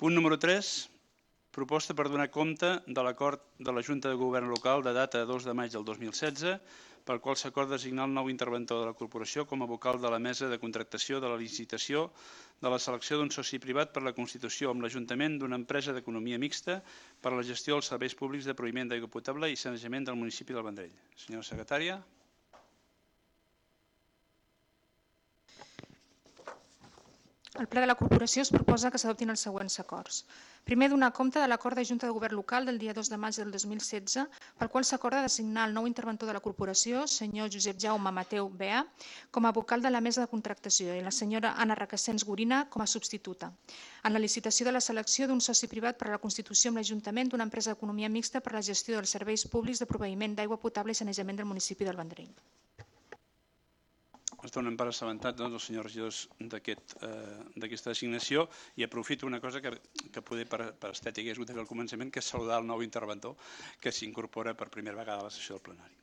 Punt número 3. Proposta per donar compte de l'acord de la Junta de Govern Local de data 2 de maig del 2016, pel qual s'acorda designar el nou interventor de la corporació com a vocal de la mesa de contractació de la licitació de la selecció d'un soci privat per la constitució amb l'Ajuntament d'una empresa d'economia mixta per a la gestió dels serveis públics de proveïment d'aigua potable i sanejament del municipi del Vendrell. Senyora secretària. Al ple de la corporació es proposa que s'adoptin els següents acords. Primer, donar compte de l'acord de Junta de Govern Local del dia 2 de maig del 2016, pel qual s'acorda designar el nou interventor de la corporació, senyor Josep Jaume Mateu Bea, com a vocal de la mesa de contractació i la senyora Anna Requesens Gorina com a substituta, en la licitació de la selecció d'un soci privat per a la constitució amb l'Ajuntament d'una empresa d'economia mixta per a la gestió dels serveis públics de proveïment d'aigua potable i sanejament del municipi del Vendrell. Es donen per assabentat els senyors regidors d'aquesta designació i aprofito una cosa que poder per estètica és útil al començament, que és saludar el nou interventor que s'incorpora per primera vegada a la sessió del plenari.